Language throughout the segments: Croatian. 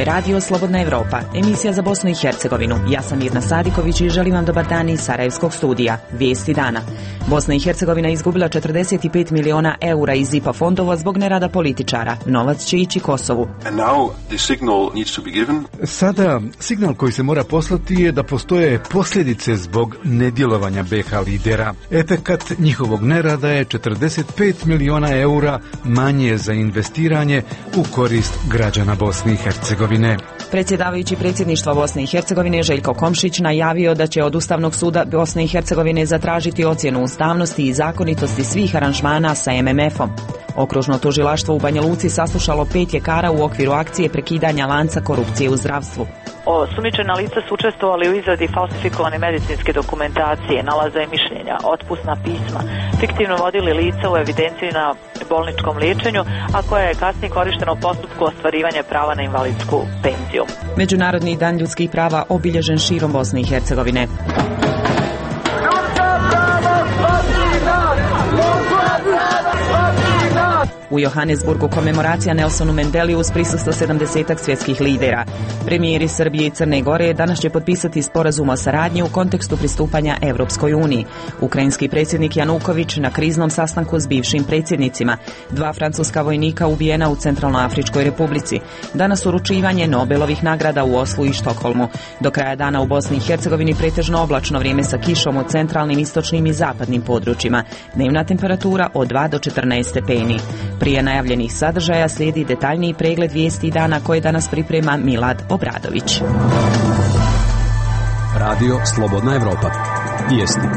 Radio Slobodna Evropa, emisija za Bosnu i Hercegovinu. Ja sam Mirna Sadiković i želim vam dobar dan iz Sarajevskog studija. Vijesti dana. Bosna i Hercegovina izgubila 45 miliona eura iz IPA fondova zbog nerada političara. Novac će ići Kosovu. Sada signal koji se mora poslati je da postoje posljedice zbog nedjelovanja BiH lidera. Efekat njihovog nerada je 45 miliona eura manje za investiranje u korist građana Bosne i Hercegovine. Predsjedavajući predsjedništva Bosne i Hercegovine Željko Komšić najavio da će od Ustavnog suda Bosne i Hercegovine zatražiti ocjenu ustavnosti i zakonitosti svih aranžmana sa MMF-om. Okružno tužilaštvo u Banja Luci saslušalo 5 ljekara u okviru akcije prekidanja lanca korupcije u zdravstvu. Osumnjičena lica su učestvovali u izradi falsifikovane medicinske dokumentacije, nalaza i mišljenja, otpusna pisma, fiktivno vodili lica u evidenciji na bolničkom liječenju, a koja je kasnije korištena u postupku ostvarivanja prava na invalidsku penziju. Međunarodni dan ljudskih prava obilježen širom Bosne i Hercegovine. U Johannesburgu komemoracija Nelsonu Mandeliju uz prisustvo 70 svjetskih lidera. Premijeri Srbije i Crne Gore danas će potpisati sporazum o saradnji u kontekstu pristupanja Evropskoj uniji. Ukrajinski predsjednik Januković na kriznom sastanku s bivšim predsjednicima. 2 francuska vojnika ubijena u Centralnoafričkoj Republici. Danas uručivanje Nobelovih nagrada u Oslu i Štokholmu. Do kraja dana u Bosni i Hercegovini pretežno oblačno vrijeme sa kišom u centralnim, istočnim i zapadnim područjima. Dnevna temperatura od 2 do 14 stepeni. Prije najavljenih sadržaja slijedi detaljniji pregled vijesti dana koje danas priprema Milad Obradović. Radio Slobodna Evropa. Vijesti.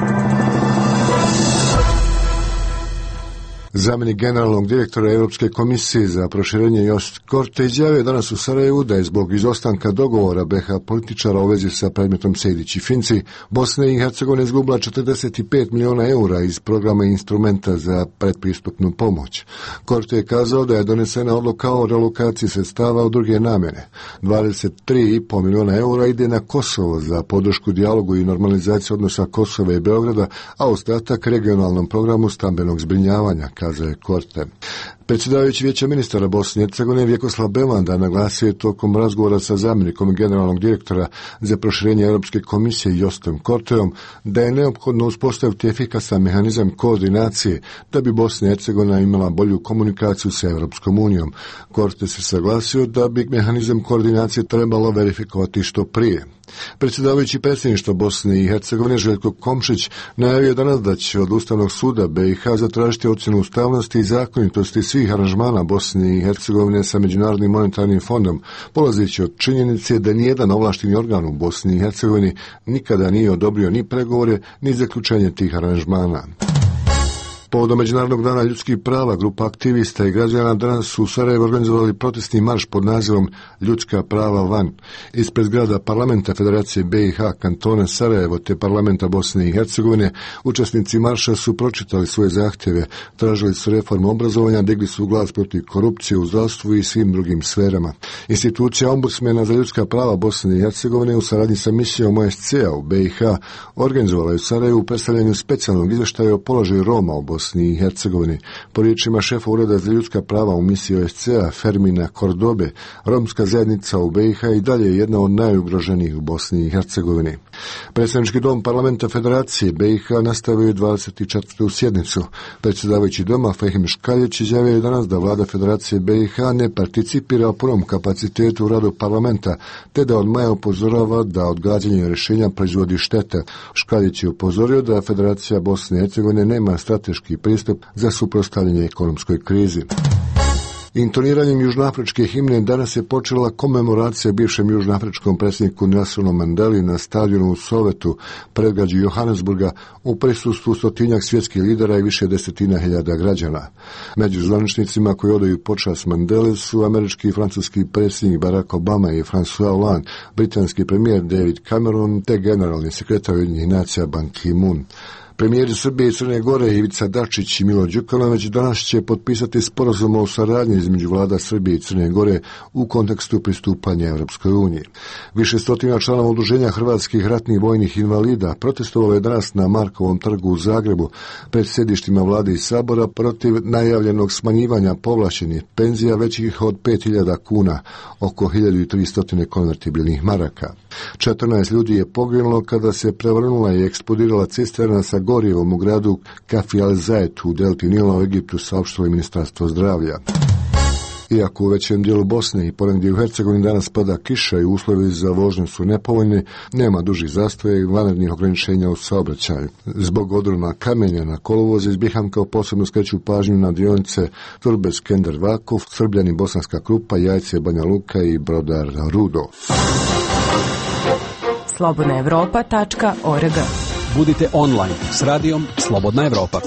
Zamjenik generalnog direktora Europske komisije za proširenje Josip Korte izjavio danas u Sarajevu da je zbog izostanka dogovora BiH političara u vezi sa predmetom Sejdić i Finci, Bosna i Hercegovina izgubila 45 miliona eura iz programa instrumenta za predpristupnu pomoć. Korte je kazao da je donesena odluka o relokaciji sredstava u druge namjene. 23,5 miliona eura ide na Kosovo za podršku dijalogu i normalizaciju odnosa Kosova i Beograda, a ostatak regionalnom programu stambenog zbrinjavanja, kazao je Korte. Predsjedavajući Vijeća ministara Bosne i Hercegovine Vjekoslav Belanda naglasio je tokom razgovora sa zamjenikom generalnog direktora za proširenje Europske komisije Josipom Korteom da je neophodno uspostaviti efikasan mehanizam koordinacije da bi Bosna i Hercegovina imala bolju komunikaciju sa Europskom unijom. Korte se saglasio da bi mehanizam koordinacije trebalo verifikovati što prije. Predsjedavajući predsjedništva Bosne i Hercegovine Željko Komšić najavio danas da će od Ustavnog suda BiH zatražiti ocjenu ustavnosti i zakonitosti svih aranžmana Bosne i Hercegovine sa Međunarodnim monetarnim fondom, polazeći od činjenice da nijedan ovlašteni organ u Bosni i Hercegovini nikada nije odobrio ni pregovore ni zaključenje tih aranžmana. Povodom Međunarodnog dana ljudskih prava, grupa aktivista i građana danas su u Sarajevu organizovali protestni marš pod nazivom Ljudska prava van. Ispred zgrada Parlamenta Federacije BiH, kantona Sarajevo te Parlamenta Bosne i Hercegovine, učesnici marša su pročitali svoje zahtjeve, tražili su reformu obrazovanja, digli su glas protiv korupcije u zdravstvu i svim drugim sferama. Institucija ombudsmena za ljudska prava Bosne i Hercegovine u saradnji sa misijom OSCE-a u BiH organizovala je u Sarajevu u predstavljanju specijalnog izvještaja o položaju Roma u Bosni i Hercegovini. Po riječima šefa Ureda za ljudska prava u misiji OSCE-a Fermina Kordobe, romska zajednica u BiH i dalje je jedna od najugroženijih u Bosni i Hercegovini. Predstavnički dom Parlamenta Federacije BiH nastavio je 24. sjednicu. Predsjedavajući doma Fehim Škaljić izjavio je danas da vlada Federacije BiH ne participira u punom kapacitetu u radu parlamenta, te da od maja upozorava da odgađanje rješenja proizvodi štete. Škaljić je upozorio da Federacija Bosne i Hercegovine nema strateški pristup za suprotstavljanje ekonomskoj krizi. Intoniranjem južnoafričke himne danas je počela komemoracija bivšem južnoafričkom predsjedniku Nelsonu Mandeli na stadionu u Sovetu, predgrađu Johannesburga, u prisustvu stotinjak svjetskih lidera i više desetina hiljada građana. Među zvaničnicima koji odaju počast Mandele su američki i francuski predsjednik Barack Obama i François Hollande, britanski premijer David Cameron te generalni sekretar Ujedinjenih nacija Ban Ki-moon. Premijeri Srbije i Crne Gore Ivica Dačić i Milo Đukanović danas će potpisati sporazum o saradnji između vlada Srbije i Crne Gore u kontekstu pristupanja Evropskoj uniji. Više stotina članova udruženja hrvatskih ratnih vojnih invalida protestovalo je danas na Markovom trgu u Zagrebu pred sjedištima vlade i sabora protiv najavljenog smanjivanja povlašćenih penzija većih od 5.000 kuna, oko 1.300 konvertibilnih maraka. 14 ljudi je poginulo kada se prevrnula i eksplodirala cisterna sa gorivom u gradu Kafi al-Zayt u delti Nila u Egiptu, saopštilo je Ministarstvo zdravlja. Iako u većem dijelu Bosne i ponegdje u Hercegovini danas pada kiša i uslovi za vožnju su nepovoljni, nema dužih zastoja i vanrednih ograničenja u saobraćaju. Zbog odrona kamenja na kolovozu iz Bihamka posebno skreću pažnju na dionice Turbes-Skender-Vakuf, Srbljani, Bosanska Krupa, Jajce, Banja Luka i Brodar Rudo. slobodnaevropa.org. Budite online s radijom Slobodna Evropa.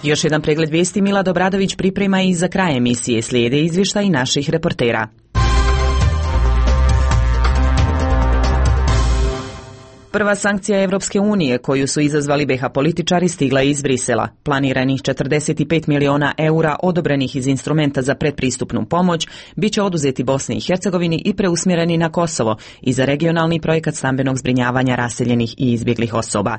Još jedan pregled vijesti Milad Obradović priprema i za kraj emisije slijede izvještaj naših reportera. Prva sankcija Evropske unije koju su izazvali BiH političari stigla je iz Brisela. Planiranih 45 miliona eura odobrenih iz instrumenta za predpristupnu pomoć bit će oduzeti Bosni i Hercegovini i preusmjereni na Kosovo i za regionalni projekat stambenog zbrinjavanja raseljenih i izbjeglih osoba.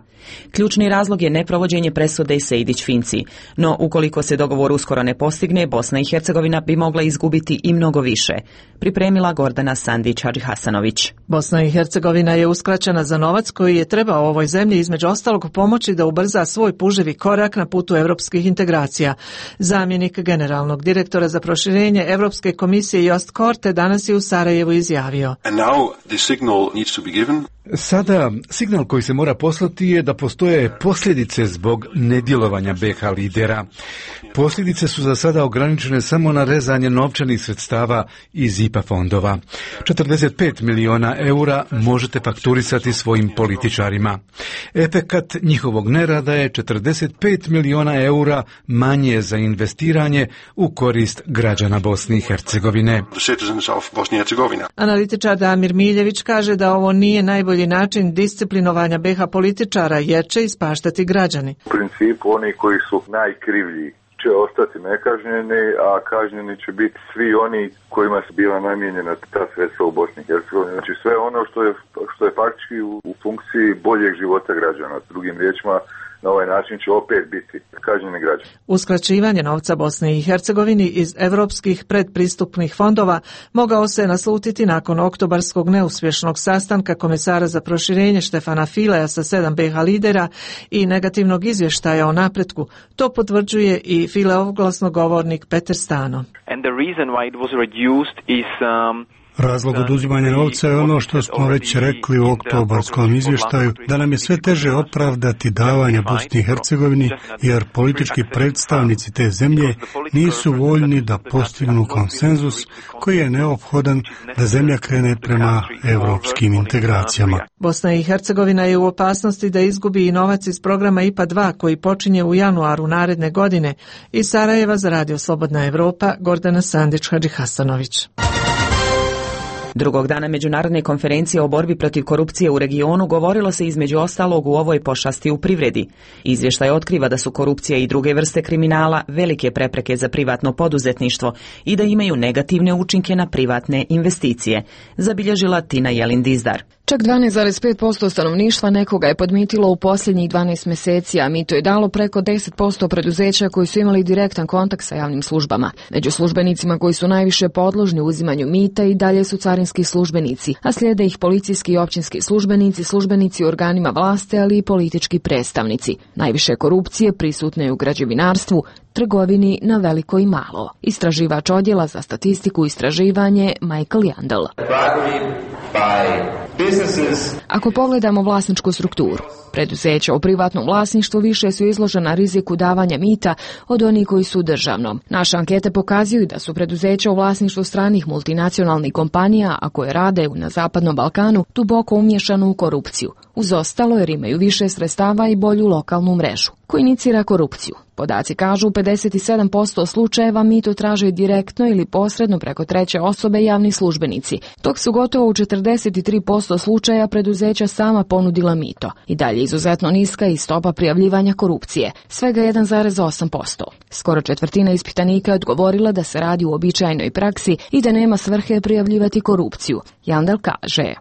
Ključni razlog je neprovođenje presude Sejdić-Finci, no ukoliko se dogovor uskoro ne postigne, Bosna i Hercegovina bi mogla izgubiti i mnogo više. Pripremila Gordana Sandić-Hadžihasanović. Bosna i Hercegovina je uskraćena za novac koji je trebao ovoj zemlji između ostalog pomoći da ubrza svoj puževi korak na putu europskih integracija. Zamjenik generalnog direktora za proširenje Europske komisije Jost Korte danas je u Sarajevu izjavio: Sada signal koji se mora poslati je da postoje posljedice zbog nedjelovanja BiH lidera. Posljedice su za sada ograničene samo na rezanje novčanih sredstava iz IPA fondova. 45 miliona eura možete fakturisati svojim političarima. Efekat njihovog nerada je 45 miliona eura manje za investiranje u korist građana Bosne i Hercegovine. Analitičar Damir Miljević kaže da ovo nije najbolji način disciplinovanja BiH političara jer će ispaštati građani. U principu oni koji su najkrivlji će ostati nekažnjeni, a kažnjeni će biti svi oni kojima su bila namijenjena ta sredstva u Bosni i Hercegovini. Znači sve ono što je faktički u funkciji boljeg života građana. Drugim riječima, na ovaj način će opet biti kažnjeni građani. Uskraćivanje novca Bosni i Hercegovini iz europskih predpristupnih fondova mogao se naslutiti nakon oktobarskog neuspješnog sastanka komesara za proširenje Štefana Fileja sa 7 BiH lidera i negativnog izvještaja o napretku. To potvrđuje i Fileov glasnogovornik Peter Stano. And the reason why it was reduced is Razlog oduzimanja novca je ono što smo već rekli u oktobarskom izvještaju, da nam je sve teže opravdati davanja Bosni i Hercegovini, jer politički predstavnici te zemlje nisu voljni da postignu konsenzus koji je neophodan da zemlja krene prema europskim integracijama. Bosna i Hercegovina je u opasnosti da izgubi i novac iz programa IPA 2 koji počinje u januaru naredne godine. Iz Sarajeva za Radio Slobodna Evropa, Gordana Sandić-Hadžihasanović. Drugog dana međunarodne konferencije o borbi protiv korupcije u regionu govorilo se između ostalog u ovoj pošasti u privredi. Izvještaj otkriva da su korupcija i druge vrste kriminala velike prepreke za privatno poduzetništvo i da imaju negativne učinke na privatne investicije, zabilježila Tina Jelin-Dizdar. Čak 12,5% stanovništva nekoga je podmitilo u posljednjih 12 mjeseci, a mito je dalo preko 10% preduzeća koji su imali direktan kontakt sa javnim službama. Među službenicima koji su najviše podložni uzimanju mita i dalje su carinski službenici, a slijede ih policijski i općinski službenici, službenici u organima vlasti, ali i politički predstavnici. Najviše korupcije prisutne je u građevinarstvu, trgovini na veliko i malo. Istraživač odjela za statistiku i istraživanje Michael Jandel. Ako pogledamo vlasničku strukturu, preduzeća u privatnom vlasništvu više su izložena riziku davanja mita od onih koji su u državnom. Naše ankete pokazuju da su preduzeća u vlasništvu stranih multinacionalnih kompanija, a koje rade na Zapadnom Balkanu, duboko umiješano u korupciju, uz ostalo jer imaju više sredstava i bolju lokalnu mrežu. ko inicira korupciju. Podaci kažu u 57% slučajeva mito traže direktno ili posredno preko treće osobe javni službenici, dok su gotovo u 43% slučaja preduzeća sama ponudila mito. I dalje izuzetno niska i stopa prijavljivanja korupcije, svega 1,8%. Skoro četvrtina ispitanika je odgovorila da se radi u uobičajenoj praksi i da nema svrhe prijavljivati korupciju. Jandal kaže: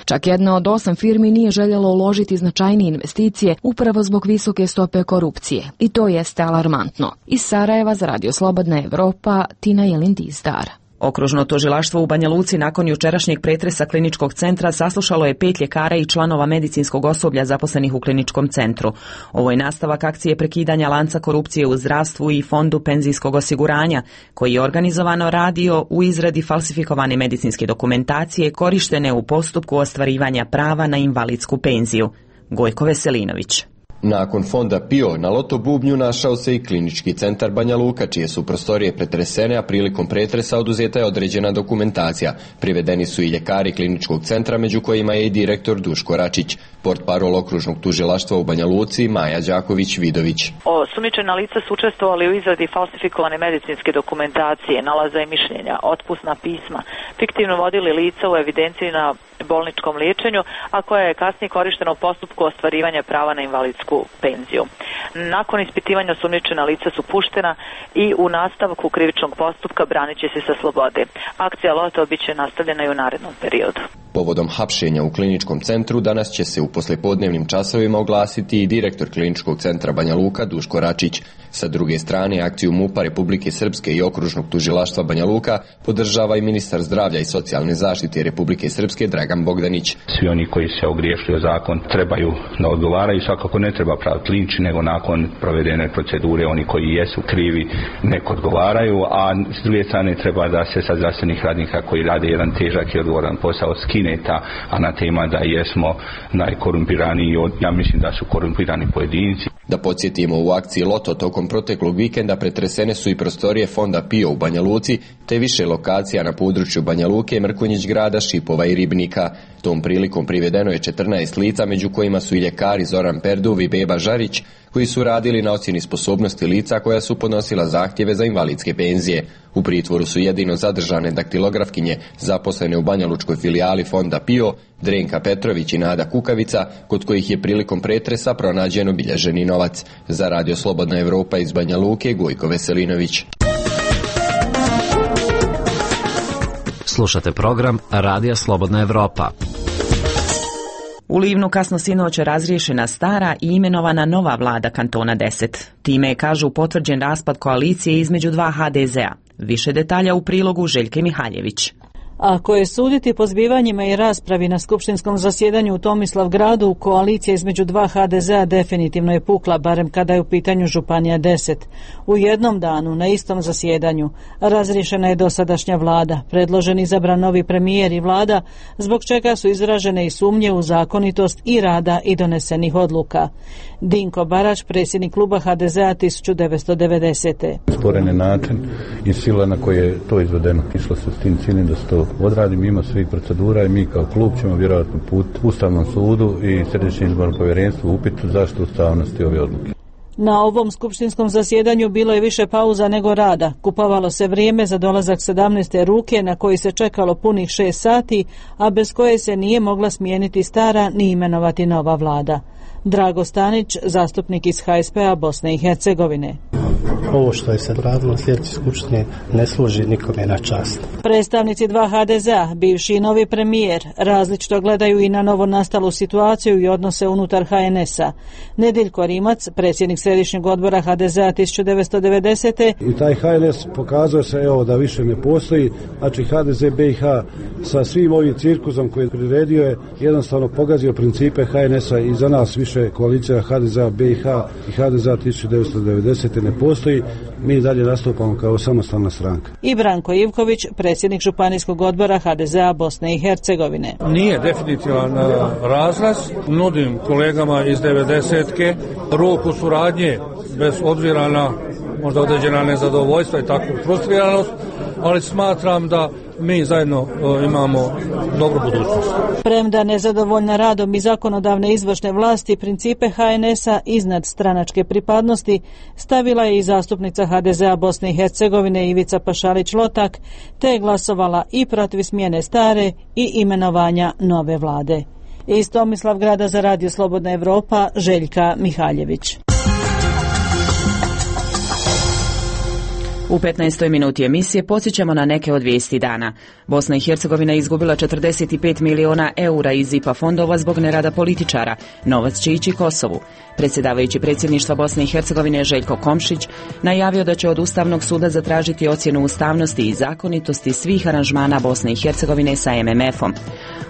čak jedna od 8 firmi nije željela uložiti značajnije investicije upravo zbog visoke stope korupcije. I to jeste alarmantno. Iz Sarajeva za Radio Slobodna Evropa, Tina Jelin-Dizdar. Okružno tužilaštvo u Banja Luci nakon jučerašnjeg pretresa kliničkog centra saslušalo je 5 ljekara i članova medicinskog osoblja zaposlenih u kliničkom centru. Ovo je nastavak akcije prekidanja lanca korupcije u zdravstvu i Fondu penzijskog osiguranja, koji je organizovano radio u izradi falsifikovane medicinske dokumentacije korištene u postupku ostvarivanja prava na invalidsku penziju. Gojko Veselinović. Nakon fonda PIO na Loto bubnju našao se i klinički centar Banja Luka, čije su prostorije pretresene, a prilikom pretresa oduzeta je određena dokumentacija. Privedeni su i ljekari kliničkog centra, među kojima je i direktor Duško Račić. Portparol okružnog tužilaštva u Banja Luci Maja Đaković-Vidović. Osumnjičena lica su učestvovali u izradi falsifikovane medicinske dokumentacije, nalaza i mišljenja, otpusna pisma, fiktivno vodili lica u evidenciji na bolničkom liječenju, a koja je kasnije korištena u postupku ostvarivanja prava na invalidsku penziju. Nakon ispitivanja osumnjičena lica su puštena i u nastavku krivičnog postupka branit će se sa slobode. Akcija Loto biće nastavljena i u narednom periodu. Povodom hapšenja u kliničkom centru danas će se u poslijepodnevnim časovima oglasiti i direktor kliničkog centra Banja Luka Duško Račić. Sa druge strane, akciju MUP-a Republike Srpske i okružnog tužilaštva Banja Luka podržava i ministar zdravlja i socijalne zaštite Republike Srpske Dragan Bogdanić. Svi oni koji se ogriješili o zakon trebaju da odgovaraju, svakako ne treba praviti linč, nego nakon provedene procedure oni koji jesu krivi nek odgovaraju, a s druge strane treba da se sa zdravstvenih radnika koji rade jedan težak i odgovoran posao skine ta anatema da jesmo najkorumpiraniji, ja mislim da su korumpirani pojedinci. Da podsjetimo, u akciji Loto tokom proteklog vikenda pretresene su i prostorije fonda PIO u Banja Luci, te više lokacija na području Banja Luke, Mrkonjić grada, Šipova i Ribnika. Tom prilikom privedeno je 14 lica, među kojima su i ljekari Zoran Perduv i Beba Žarić, koji su radili na ocjeni sposobnosti lica koja su podnosila zahtjeve za invalidske penzije. U pritvoru su jedino zadržane daktilografkinje zaposlene u banjalučkoj filijali fonda PIO, Drenka Petrović i Nada Kukavica, kod kojih je prilikom pretresa pronađen obilježeni novac. Za Radio Slobodna Evropa iz Banja Luke, Gojko Veselinović. Slušate program Radija Slobodna Evropa. U Livnu kasno sinoć razriješena stara i imenovana nova vlada kantona 10. Time je, kažu, potvrđen raspad koalicije između 2 HDZ-a. Više detalja u prilogu Željke Mihaljević. Ako je suditi po zbivanjima i raspravi na skupštinskom zasjedanju u Tomislavgradu, koalicija između 2 HDZ-a definitivno je pukla, barem kada je u pitanju Županija 10. U jednom danu, na istom zasjedanju, razriješena je dosadašnja vlada, predložen izabran novi premijer i vlada, zbog čega su izražene i sumnje u zakonitost i rada i donesenih odluka. Dinko Barać, predsjednik kluba HDZ-a 1990. Sporen je način i sila na koje je to izvedeno. Išlo se s tim ciljem da se to odradi mimo svih procedura i mi kao klub ćemo vjerojatno put Ustavnom sudu i Središnjem izbornom povjerenstvu upitu zašto ustavnosti ove odluke. Na ovom skupštinskom zasjedanju bilo je više pauza nego rada. Kupovalo se vrijeme za dolazak 17. ruke na koji se čekalo punih 6 sati, a bez koje se nije mogla smijeniti stara ni imenovati nova vlada. Drago Stanić, zastupnik iz HSP-a Bosne i Hercegovine. Ovo što je se radilo u sljedeći skupštine ne služi nikome na čast. Predstavnici 2 HDZ-a, bivši i novi premijer, različito gledaju i na novo nastalu situaciju i odnose unutar HNS-a. Nediljko Rimac, predsjednik Središnjeg odbora HDZ-a 1990. I taj HNS pokazao se da više ne postoji, znači HDZ BiH sa svim ovim cirkusom koji je priredio je jednostavno pogazio principe HNS-a i za nas više koalicija HDZ-a BiH i HDZ-a 1990. ne postoji. Mi dalje nastupamo kao samostalna stranka. I Branko Ivković, predsjednik Županijskog odbora HDZ-a Bosne i Hercegovine. Nije definitivan razlaz. Nudim kolegama iz 90-ke ruku suradnje bez obzira na možda određena nezadovoljstva i takvu frustriranost, ali smatram da mi zajedno imamo dobru budućnost. Premda nezadovoljna radom i zakonodavne izvršne vlasti, principe HNS-a iznad stranačke pripadnosti stavila je i zastupnica HDZ-a Bosne i Hercegovine Ivica Pašalić-Lotak, te je glasovala i protiv smjene stare i imenovanja nove vlade. Iz Tomislavgrada za Radio Slobodna Evropa, Željka Mihaljević. U 15. minuti emisije podsjećamo na neke od vijesti dana. Bosna i Hercegovina je izgubila 45 miliona eura iz IPA fondova zbog nerada političara. Novac će ići Kosovu. Predsjedavajući predsjedništva Bosne i Hercegovine Željko Komšić najavio da će od Ustavnog suda zatražiti ocjenu ustavnosti i zakonitosti svih aranžmana Bosne i Hercegovine sa MMF-om.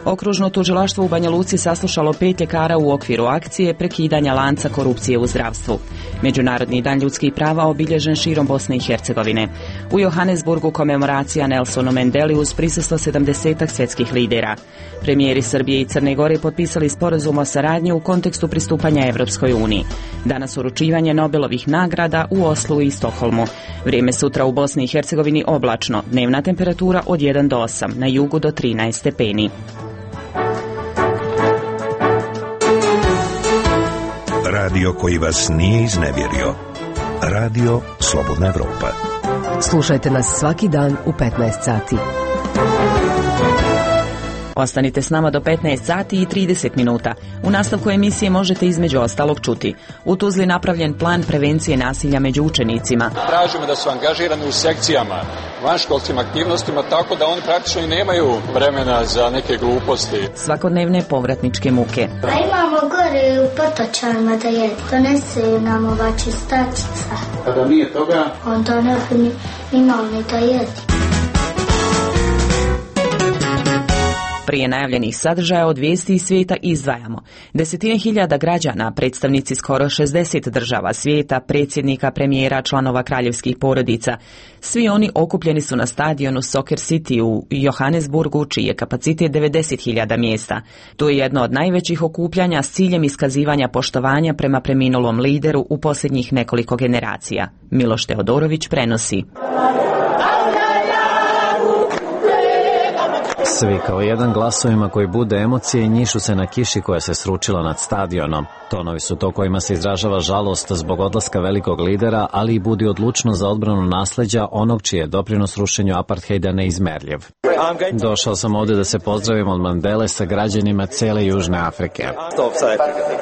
Okružno tužilaštvo u Banja Luci saslušalo 5 ljekara u okviru akcije prekidanja lanca korupcije u zdravstvu. Međunarodni dan ljudskih prava obilježen širom Bosne i Hercegovine. U Johannesburgu komemoracija Nelsonu Mandeli uz prisustvo 70 svjetskih lidera. Premijeri Srbije i Crne Gore potpisali sporazum o saradnji u kontekstu pristupanja Evropskoj uniji. Danas uručivanje Nobelovih nagrada u Oslu i Stokholmu. Vrijeme sutra u Bosni i Hercegovini oblačno, dnevna temperatura od 1 do 8, na jugu do 13 stepeni. Radio koji vas nije iznevjerio. Radio Slobodna Evropa. Slušajte nas svaki dan u 15 sati. Ostanite s nama do 15 sati i 30 minuta. U nastavku emisije možete između ostalog čuti: u Tuzli napravljen plan prevencije nasilja među učenicima. Tražimo da su angažirani u sekcijama, vanškolskim aktivnostima, tako da oni praktično i nemaju vremena za neke gluposti. Svakodnevne povratničke muke. A imamo gore u Potočarima da jedi. Donesu nam ova čistačica. A da nije toga? Onda ne bi imao ni da jedi. Prije najavljenih sadržaja od vijesti iz svijeta izdvajamo: desetine hiljada građana, predstavnici skoro 60 država svijeta, predsjednika, premijera, članova kraljevskih porodica. Svi oni okupljeni su na stadionu Soccer City u Johannesburgu, čiji je kapacitet 90.000 mjesta. To je jedno od najvećih okupljanja s ciljem iskazivanja poštovanja prema preminulom lideru u posljednjih nekoliko generacija. Miloš Teodorović prenosi. Svi kao jedan glasovima koji bude emocije i njišu se na kiši koja se sručila nad stadionom. Tonovi su to kojima se izražava žalost zbog odlaska velikog lidera, ali i budi odlučno za odbranu nasleđa onog čiji je doprinos rušenju apartheida neizmerljiv. Došao sam ovdje da se pozdravim od Mandele sa građanima cijele Južne Afrike.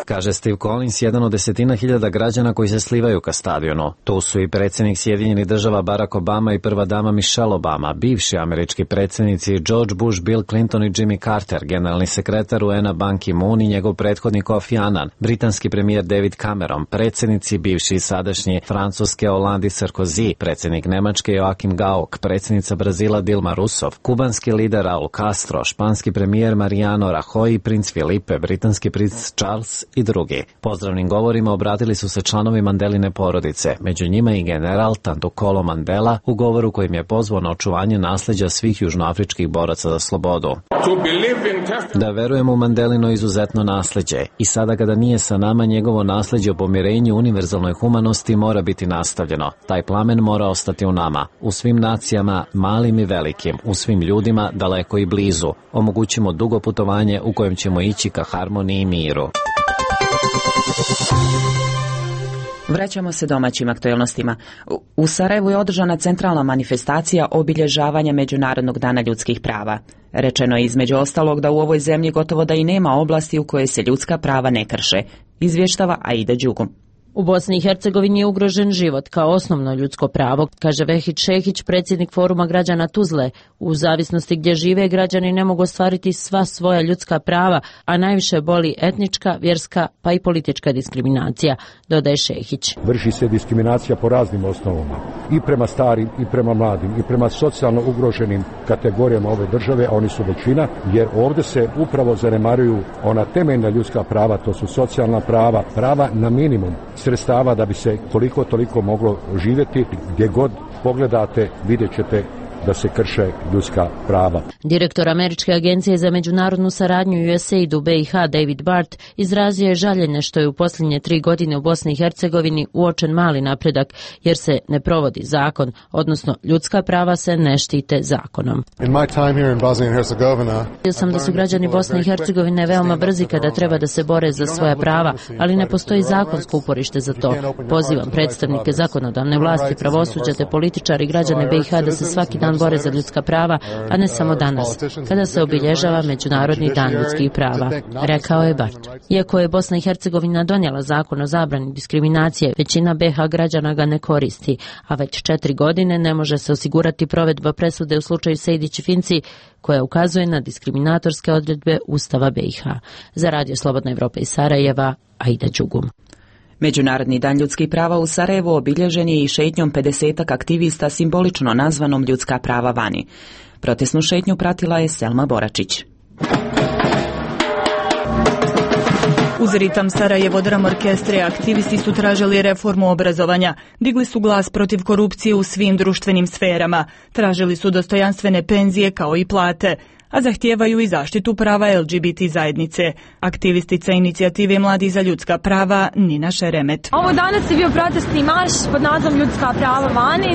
Kaže Steve Collins, jedan od desetina hiljada građana koji se slivaju ka stadionu. Tu su i predsjednik Sjedinjenih država Barack Obama i prva dama Michelle Obama, bivši američki predsjednici George Bush, Bill Clinton i Jimmy Carter, generalni sekretar UN-a Ban Ki-moon i njegov prethodnik Kofi Annan, britanski premijer David Cameron, predsjednici bivši i sadašnji Francuske Hollande i Sarkozy, predsjednik Nemačke Joachim Gauck, predsjednica Brazila Dilma Rousseff, kubanski lider Raul Castro, španski premijer Mariano Rajoy, princ Filipe, britanski princ Charles i drugi. Pozdravnim govorima obratili su se članovi Mandeline porodice, među njima i general Tantokolo Mandela, u govoru kojim je pozvao na očuvanje nasljeđa svih južnoafričkih boraca za slobodu. Da verujemo u Mandelino izuzetno nasljeđe i sada kada nije sa nama, njegovo nasljeđe o pomirenju, univerzalnoj humanosti mora biti nastavljeno. Taj plamen mora ostati u nama, u svim nacijama, malim i velikim, u svim ljudima, daleko i blizu. Omogućimo dugo putovanje u kojem ćemo ići ka harmoniji i miru. Vraćamo se domaćim aktualnostima. U Sarajevu je održana centralna manifestacija obilježavanja Međunarodnog dana ljudskih prava. Rečeno je između ostalog da u ovoj zemlji gotovo da i nema oblasti u kojoj se ljudska prava ne krše, izvještava Aida Đugum. U Bosni i Hercegovini je ugrožen život kao osnovno ljudsko pravo, kaže Vehid Šehić, predsjednik Foruma građana Tuzle. U zavisnosti gdje žive, građani ne mogu ostvariti sva svoja ljudska prava, a najviše boli etnička, vjerska pa i politička diskriminacija, dodaje Šehić. Vrši se diskriminacija po raznim osnovama, i prema starim, i prema mladim, i prema socijalno ugroženim kategorijama ove države, a oni su većina, jer ovdje se upravo zanemaruju ona temeljna ljudska prava, to su socijalna prava, prava na minimum sredstava da bi se koliko toliko moglo živjeti. Gdje god pogledate vidjet ćete da se krše ljudska prava. Direktor Američke agencije za međunarodnu saradnju USAID u BiH David Bart izrazio je žaljenje što je u posljednje 3 godine u Bosni i Hercegovini uočen mali napredak jer se ne provodi zakon, odnosno ljudska prava se ne štite zakonom. Vidio sam da su građani Bosne i Hercegovine veoma brzi kada treba da se bore za svoja prava, ali ne postoji zakonsko uporište za to. Pozivam predstavnike zakonodavne vlasti, pravosuđa te političari i građane BiH da se svaki dan bore za ljudska prava, a ne samo danas, kada se obilježava Međunarodni dan ljudskih prava, rekao je Bart. Iako je Bosna i Hercegovina donijela zakon o zabrani diskriminacije, većina BiH građana ga ne koristi, a već 4 godine ne može se osigurati provedba presude u slučaju Sejdić i Finci, koja ukazuje na diskriminatorske odredbe Ustava BiH. Za Radio Slobodna Evropa iz Sarajeva, Aida Đugum. Međunarodni dan ljudskih prava u Sarajevu obilježen je i šetnjom 50 aktivista simbolično nazvanom Ljudska prava vani. Protestnu šetnju pratila je Selma Boračić. Uz ritam Sarajevo Dram orkestre aktivisti su tražili reformu obrazovanja, digli su glas protiv korupcije u svim društvenim sferama, tražili su dostojanstvene penzije kao i plate, a zahtijevaju i zaštitu prava LGBT zajednice. Aktivistica inicijative Mladi za ljudska prava Nina Šeremet. Ovo danas je bio protestni marš pod nazivom Ljudska prava vani.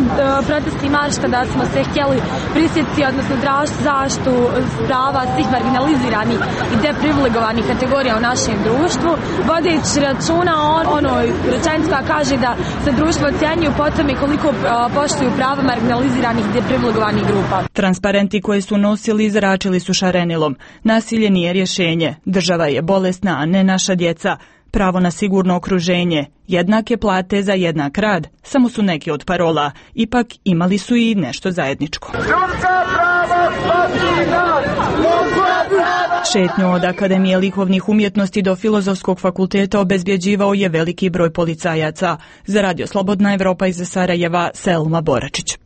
Protestni marš kada smo se htjeli prisjetiti, odnosno tražiti zaštitu prava svih marginaliziranih i deprivilegovanih kategorija u našem društvu, vodeći računa o onoj rečenici koja kaže da se društvo ocjenjuju po tome koliko poštuju prava marginaliziranih i deprivilegovanih grupa. Transparenti koje su nosili izračili su šarenilom. Nasilje nije rješenje. Država je bolesna, a ne naša djeca. Pravo na sigurno okruženje. Jednake plate za jednak rad. Samo su neki od parola. Ipak imali su i nešto zajedničko. Šetnju od Akademije likovnih umjetnosti do Filozofskog fakulteta obezbjeđivao je veliki broj policajaca. Za Radio Slobodna Evropa iz Sarajeva, Selma Boračić.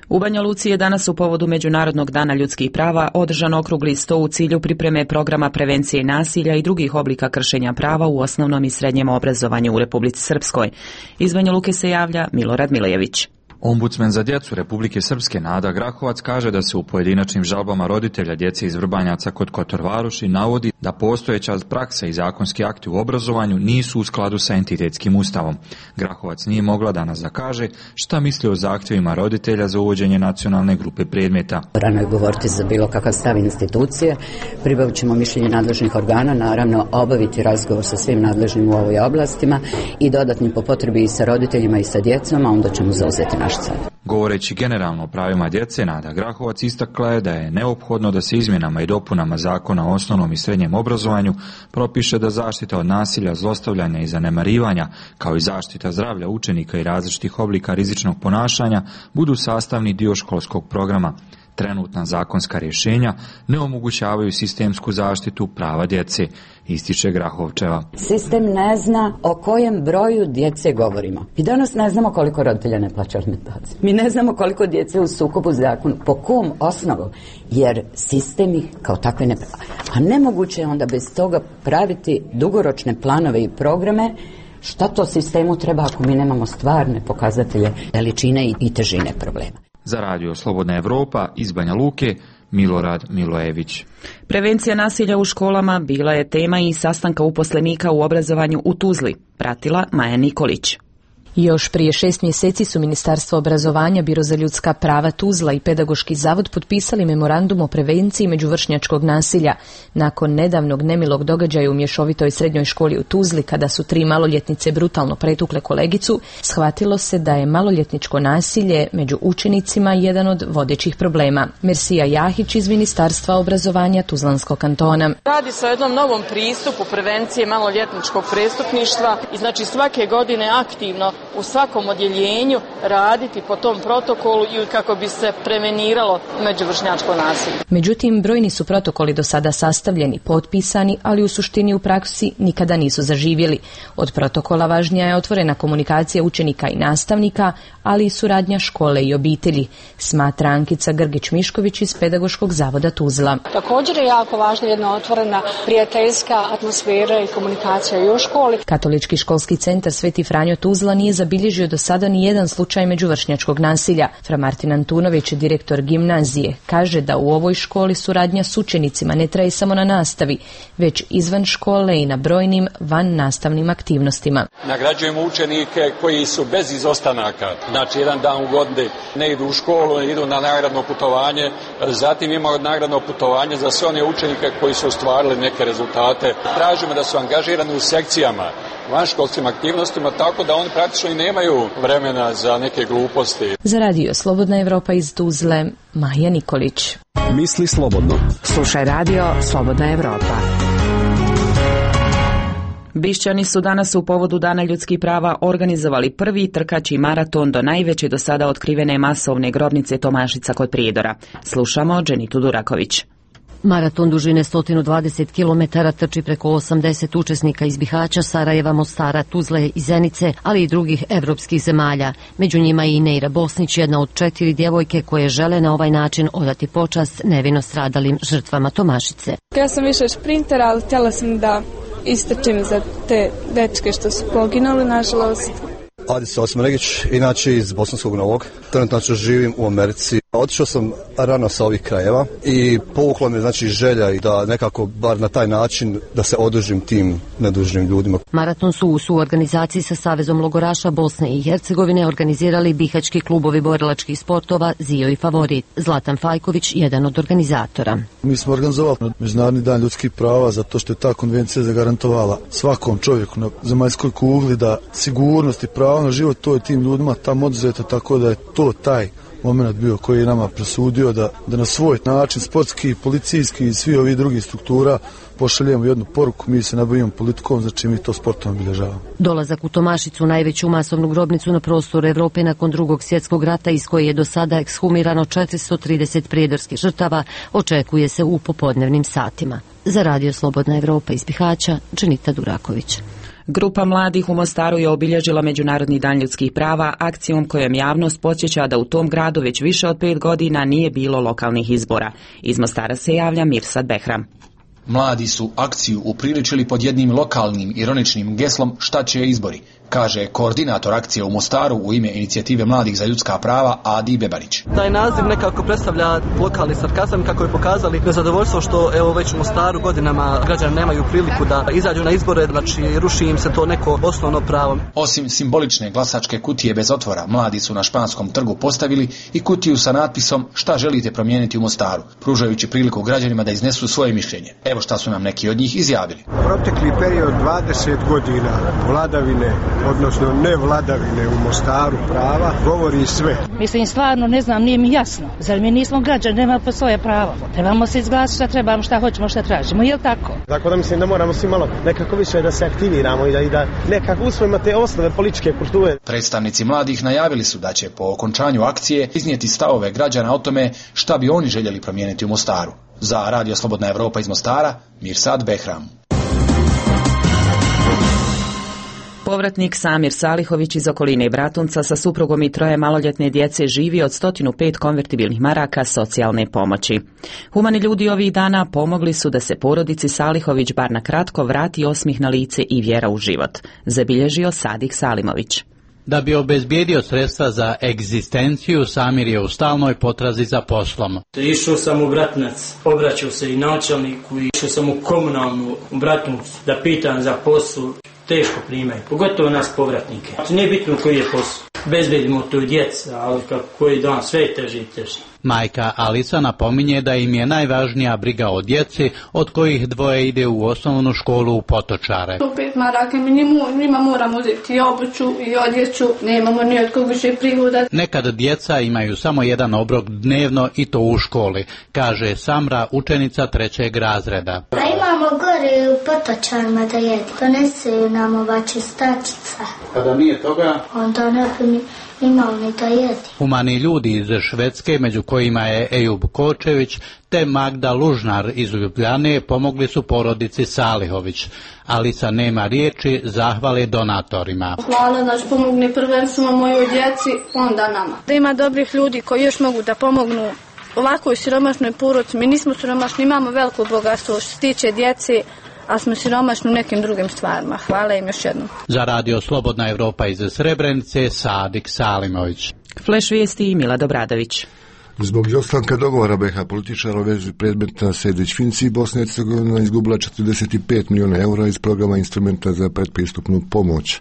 U Banja Luci je danas u povodu Međunarodnog dana ljudskih prava održan okrugli sto u cilju pripreme programa prevencije nasilja i drugih oblika kršenja prava u osnovnom i srednjem obrazovanju u Republici Srpskoj. Iz Banja Luke se javlja Milorad Milejević. Ombudsman za djecu Republike Srpske Nada Grahovac kaže da se u pojedinačnim žalbama roditelja djece iz Vrbanjaca kod Kotor Varoši navodi da postojeća praksa i zakonski akti u obrazovanju nisu u skladu sa entitetskim ustavom. Grahovac nije mogla danas da kaže šta misli o zahtjevima roditelja za uvođenje nacionalne grupe predmeta. Rano je govoriti za bilo kakav stav institucije, pribavit ćemo mišljenje nadležnih organa, naravno obaviti razgovor sa svim nadležnim u ovoj oblastima i dodatnim po potrebi i sa roditeljima i sa djecom, a onda ćemo zauzeti naš. Govoreći generalno o pravima djece, Nada Grahovac istakla je da je neophodno da se izmjenama i dopunama Zakona o osnovnom i srednjem obrazovanju propiše da zaštita od nasilja, zlostavljanja i zanemarivanja, kao i zaštita zdravlja učenika i različitih oblika rizičnog ponašanja budu sastavni dio školskog programa. Trenutna zakonska rješenja ne omogućavaju sistemsku zaštitu prava djece, ističe Grahovčeva. Sistem ne zna o kojem broju djece govorimo. Mi danas ne znamo koliko roditelja ne plaća alimentacije. Mi ne znamo koliko djece u sukobu zakonu, po kom osnovu, jer sistem ih kao takve ne pravi. A nemoguće je onda bez toga praviti dugoročne planove i programe. Šta to sistemu treba ako mi nemamo stvarne pokazatelje veličine i težine problema? Za Radio Slobodna Evropa iz Banja Luke, Milorad Milojević. Prevencija nasilja u školama bila je tema i sastanka uposlenika u obrazovanju u Tuzli, pratila Maja Nikolić. Još prije 6 mjeseci su Ministarstvo obrazovanja, Biro za ljudska prava Tuzla i Pedagoški zavod potpisali memorandum o prevenciji međuvršnjačkog nasilja. Nakon nedavnog nemilog događaja u mješovitoj srednjoj školi u Tuzli, kada su 3 maloljetnice brutalno pretukle kolegicu, shvatilo se da je maloljetničko nasilje među učenicima jedan od vodećih problema. Mersija Jahić iz Ministarstva obrazovanja Tuzlanskog kantona. Radi se o jednom novom pristupu prevencije maloljetničkog prestupništva i znači svake godine aktivno u svakom odjeljenju raditi po tom protokolu i kako bi se preveniralo međuvršnjačko nasilje. Međutim, brojni su protokoli do sada sastavljeni, potpisani, ali u suštini u praksi nikada nisu zaživjeli. Od protokola važnija je otvorena komunikacija učenika i nastavnika, ali i suradnja škole i obitelji, smatra Ankica Grgić-Mišković iz Pedagoškog zavoda Tuzla. Također je jako važna jedna otvorena prijateljska atmosfera i komunikacija i u školi. Katolički školski centar Sveti Franjo Tuzla nije zabilježio do sada ni jedan slučaj međuvršnjačkog nasilja. Fra Martin Antunović, direktor gimnazije, kaže da u ovoj školi suradnja s učenicima ne traje samo na nastavi, već izvan škole i na brojnim van nastavnim aktivnostima. Nagrađujemo učenike koji su bez izostanaka, znači jedan dan u godini ne idu u školu, ne idu na nagradno putovanje, zatim imamo nagradno putovanje za sve one učenike koji su ostvarili neke rezultate. Tražimo da su angažirani u sekcijama, vanškolskim aktivnostima, tako da oni praktično i nemaju vremena za neke gluposti. Za radio Slobodna Evropa iz Tuzle, Maja Nikolić. Misli slobodno. Slušaj radio Slobodna Evropa. Bišćani su danas u povodu Dana ljudskih prava organizovali prvi trkački maraton do najveće do sada otkrivene masovne grobnice Tomašica kod Prijedora. Slušamo Dženitu Duraković. Maraton dužine 120 km trči preko 80 učesnika iz Bihaća, Sarajeva, Mostara, Tuzle i Zenice, ali i drugih evropskih zemalja. Među njima i Neira Bosnić, jedna od 4 djevojke koje žele na ovaj način odati počast nevino stradalim žrtvama Tomašice. Ja sam više šprinter, ali htjela sam da istrčim za te dečke što su poginuli, nažalost. Adis Osmanegić, inače iz Bosanskog Novog. Trenutno živim u Americi. Otišao sam rano sa ovih krajeva i povukla me želja i da nekako bar na taj način da se odužim tim nedužnim ljudima. Maraton su u suorganizaciji sa Savezom logoraša Bosne i Hercegovine organizirali bihaćki klubovi borilačkih sportova Zio i Favorit. Zlatan Fajković, jedan od organizatora. Mi smo organizovali Međunarodni dan ljudskih prava zato što je ta konvencija zagarantovala svakom čovjeku na zemaljskoj kugli da sigurnost i pravo na život to je tim ljudima tamo oduzeto, tako da je to taj moment bio koji je nama presudio da na svoj način sportski, policijski i svi ovi drugi struktura pošaljemo jednu poruku, mi se ne bavimo politikom, znači mi to sportom obilježavamo. Dolazak u Tomašicu, najveću masovnu grobnicu na prostoru Evrope nakon Drugog svjetskog rata, iz koje je do sada ekshumirano 430 prijedorskih žrtava, očekuje se u popodnevnim satima. Za radio Slobodna Evropa iz Bihaća, Dženita Duraković. Grupa mladih u Mostaru je obilježila Međunarodni dan ljudskih prava akcijom kojom javnost podsjeća da u tom gradu već više od 5 godina nije bilo lokalnih izbora. Iz Mostara se javlja Mirsad Behram. Mladi su akciju upriličili pod jednim lokalnim ironičnim geslom šta će izbori, kaže koordinator akcije u Mostaru u ime Inicijative mladih za ljudska prava Adi Bebarić. Taj naziv nekako predstavlja lokalni sarkazam kako je pokazali nezadovoljstvo što evo već u Mostaru godinama građani nemaju priliku da izađu na izbore, znači ruši im se to neko osnovno pravo. Osim simbolične glasačke kutije bez otvora, mladi su na Španskom trgu postavili i kutiju sa natpisom šta želite promijeniti u Mostaru, pružajući priliku građanima da iznesu svoje mišljenje. Evo šta su nam neki od njih izjavili. Protekli period 20 godina vladavine, odnosno ne vladavine u Mostaru prava, govori sve. Mislim, stvarno ne znam, nije mi jasno. Zar mi nismo građani, nema po svoje pravo. Trebamo se izglasiti šta trebamo, šta hoćemo, šta tražimo, je li tako? Tako da mislim da moramo svi malo nekako više da se aktiviramo i da nekako usvojimo te osnove političke kulture. Predstavnici mladih najavili su da će po okončanju akcije iznijeti stavove građana o tome šta bi oni željeli promijeniti u Mostaru. Za radio Slobodna Evropa iz Mostara, Mirsad Behram. Povratnik Samir Salihović iz okoline Bratunca sa suprugom i 3 maloljetne djece živi od 105 konvertibilnih maraka socijalne pomoći. Humani ljudi ovih dana pomogli su da se porodici Salihović bar na kratko vrati osmih na lice i vjera u život, zabilježio Sadik Salimović. Da bi obezbijedio sredstva za egzistenciju, Samir je u stalnoj potrazi za poslom. Išao sam u Bratunac, obraćao se i načelniku, išao sam u komunalnu u Bratunac da pitam za posao. Teško primaju, pogotovo nas povratnike. Nije bitno koji je posao. Bezbedimo to djeca, ali koji dan sve je teže i teže. Majka Alisa napominje da im je najvažnija briga o djeci, od kojih 2 ide u osnovnu školu u Potočare. 5 maraka, njima moramo uzeti i obuću i odjeću, nemamo ni od kog više prihoda. Nekad djeca imaju samo jedan obrok dnevno i to u školi, kaže Samra, učenica 3. razreda. A imamo gore u Potočarima da jedu, donesu nam ova čistačica. Kada nije toga? Onda ne bi imao ni da jedi. Humani ljudi iz Švedske, među kojima je Ejub Kočević te Magda Lužnar iz Ljubljane, pomogli su porodici Salihović. Alisa nema riječi zahvale donatorima. Hvala da pomogne prvenstveno mojoj djeci, onda nama. Da ima dobrih ljudi koji još mogu da pomognu ovakvoj siromašnoj porodici. Mi nismo siromašni, imamo veliko bogatstvo što se tiče djece, a smo siromašni u nekim drugim stvarima. Hvala im još jednom. Za radio Slobodna Evropa iz Srebrenice, Sadik Salimović. Flash vijesti i Milad Obradović. Zbog izostanka dogovora BiH političara u vezi predmeta Sejdić-Finci, Bosna i Hercegovina izgubila 45 milijuna eura iz programa instrumenta za predpristupnu pomoć.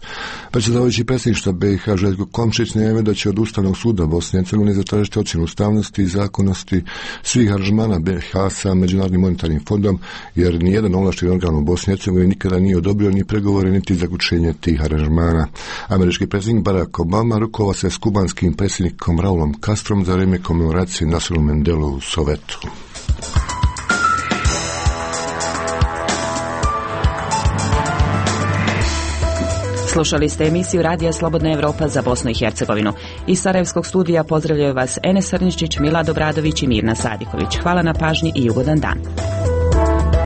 Predsjedavajući predsjedništva BiH Željko Komšić najavio da će od Ustavnog suda Bosne i Hercegovine zatražiti ocjenu ustavnosti i zakonnosti svih aranžmana BiH sa Međunarodnim monetarnim fondom, jer nijedan ovlašteni organ u Bosni i Hercegovini nikada nije odobrio ni pregovore niti zaključenje tih aranžmana. Američki predsjednik Barack Obama rukovao se s kubanskim predsjednikom Raulom Castrom za vrijeme komemoracije Nelsonu Mandelu u Sovetu. Slušali ste emisiju Radija Slobodna Evropa za Bosnu i Hercegovinu. Iz Sarajevskog studija pozdravljaju vas Enes Srničić, Milad Obradović i Mirna Sadiković. Hvala na pažnji i ugodan dan.